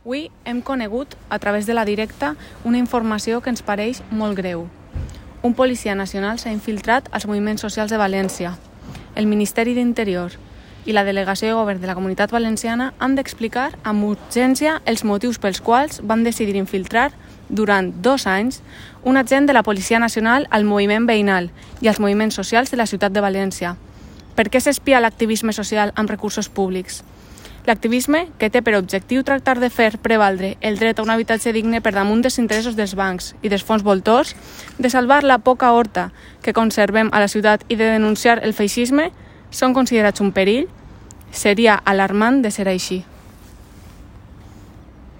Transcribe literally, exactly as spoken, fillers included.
Avui hem conegut, a través de la directa, una informació que ens pareix molt greu. Un policia nacional s'ha infiltrat als moviments socials de València. El Ministeri d'Interior i la Delegació de Govern de la Comunitat Valenciana han d'explicar amb urgència els motius pels quals van decidir infiltrar durant dos anys un agent de la Policia Nacional al moviment veïnal i als moviments socials de la ciutat de València. Per què s'espia l'activisme social amb recursos públics? L'activisme, que té per objectiu tractar de fer prevaldre el dret a un habitatge digne per damunt dels interessos dels bancs i dels fons voltors, de salvar la poca horta que conservem a la ciutat i de denunciar el feixisme, són considerats un perill? Seria alarmant de ser així.